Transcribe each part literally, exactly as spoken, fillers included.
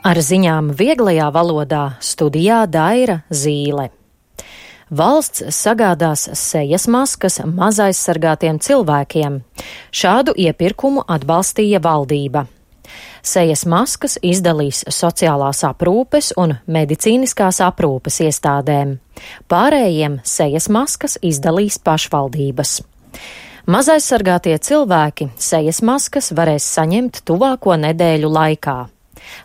Ar ziņām vieglajā valodā studijā Daira Zīle. Valsts sagādās sejas maskas mazaizsargātiem cilvēkiem. Šādu iepirkumu atbalstīja valdība. Sejas maskas izdalīs sociālās aprūpes un medicīniskās aprūpes iestādēm. Pārējiem sejas maskas izdalīs pašvaldības. Mazaizsargātie cilvēki sejas maskas varēs saņemt tuvāko nedēļu laikā.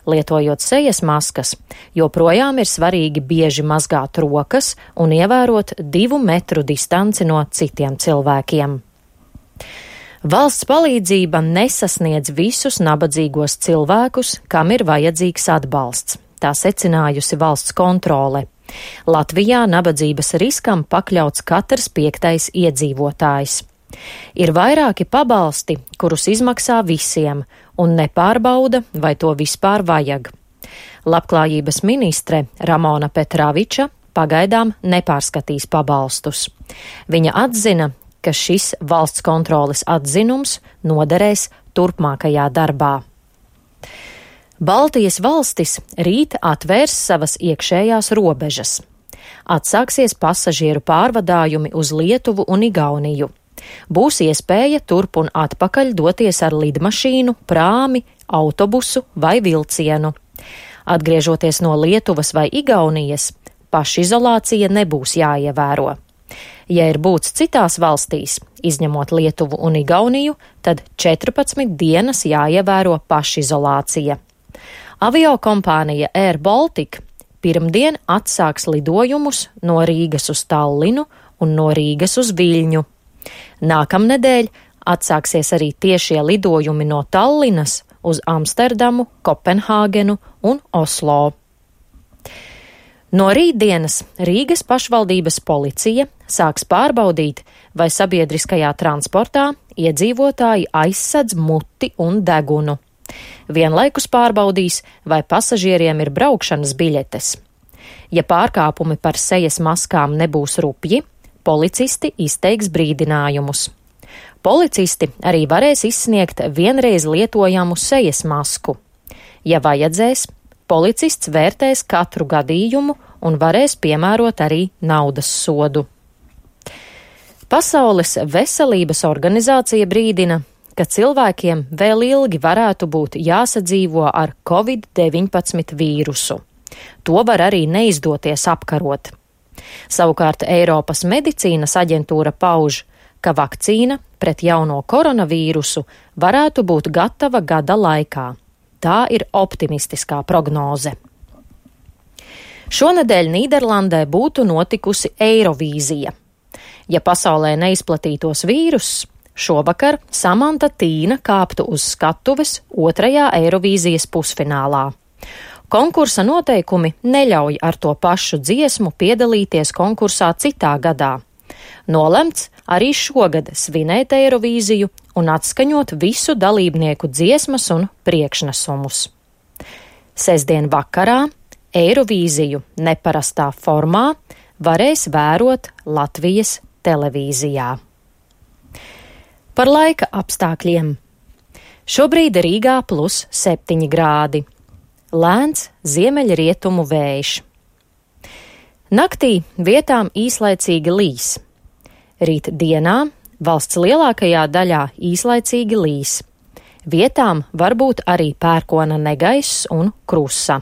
Lietojot sejas maskas, joprojām ir svarīgi bieži mazgāt rokas un ievērot divu metru distanci no citiem cilvēkiem. Valsts palīdzība nesasniedz visus nabadzīgos cilvēkus, kam ir vajadzīgs atbalsts. Tā secinājusi valsts kontrole. Latvijā nabadzības riskam pakļauts katrs piektais iedzīvotājs. Ir vairāki pabalsti, kurus izmaksā visiem, un nepārbauda, vai to vispār vajag. Labklājības ministre Ramona Petraviča pagaidām nepārskatīs pabalstus. Viņa atzina, ka šis valsts kontroles atzinums noderēs turpmākajā darbā. Baltijas valstis rīt atvērs savas iekšējās robežas. Atsāksies pasažieru pārvadājumi uz Lietuvu un Igauniju. Būs iespēja turp un atpakaļ doties ar lidmašīnu, prāmi, autobusu vai vilcienu. Atgriežoties no Lietuvas vai Igaunijas, pašizolācija nebūs jāievēro. Ja ir būts citās valstīs, izņemot Lietuvu un Igauniju, tad četrpadsmit dienas jāievēro pašizolācija. Aviokompānija Air Baltica pirmdien atsāks lidojumus no Rīgas uz Tallinu un no Rīgas uz Viļņu. Nākamnedēļ atsāksies arī tiešie lidojumi no Tallinas uz Amsterdamu, Kopenhāgenu un Oslo. No rītdienas Rīgas pašvaldības policija sāks pārbaudīt, vai sabiedriskajā transportā iedzīvotāji aizsedz muti un degunu. Vienlaikus pārbaudīs, vai pasažieriem ir braukšanas biļetes. Ja pārkāpumi par sejas maskām nebūs rupji, policisti izteiks brīdinājumus. Policisti arī varēs izsniegt vienreiz lietojamu sejas masku. Ja vajadzēs, policists vērtēs katru gadījumu un varēs piemērot arī naudas sodu. Pasaules veselības organizācija brīdina, ka cilvēkiem vēl ilgi varētu būt jāsadzīvo ar covid deviņpadsmit vīrusu. To var arī neizdoties apkarot. Savukārt Eiropas medicīnas aģentūra pauž, ka vakcīna pret jauno koronavīrusu varētu būt gatava gada laikā. Tā ir optimistiskā prognoze. Šonedēļ Nīderlandē būtu notikusi Eirovīzija. Ja pasaulē neizplatītos vīruss, šovakar Samanta Tīna kāptu uz skatuves otrajā Eirovīzijas pusfinālā. Konkursa noteikumi neļauj ar to pašu dziesmu piedalīties konkursā citā gadā. Nolemts arī šogad svinēt Eirovīziju un atskaņot visu dalībnieku dziesmas un priekšnesumus. Sestdien vakarā Eirovīziju neparastā formā varēs vērot Latvijas televīzijā. Par laika apstākļiem. Šobrīd Rīgā plus septiņi grādi. Lēns ziemeļrietumu vējš. Naktī vietām īslaicīgi līs. Rīt dienā valsts lielākajā daļā īslaicīgi līs. Vietām varbūt arī pērkona negaiss un krusa.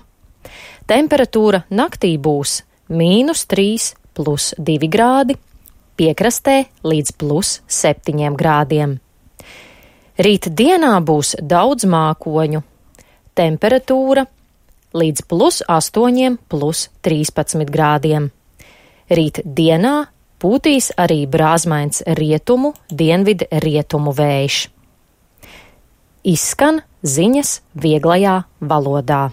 Temperatūra naktī būs mīnus trīs plus divi grādi, piekrastē līdz plus septiņiem grādiem. Rīt dienā būs daudz mākoņu. Temperatūra līdz plus astoņiem plus trīspadsmit grādiem. Rīt dienā pūtīs arī brāzmains rietumu, dienvidu rietumu vējš. Izskan ziņas vieglajā valodā.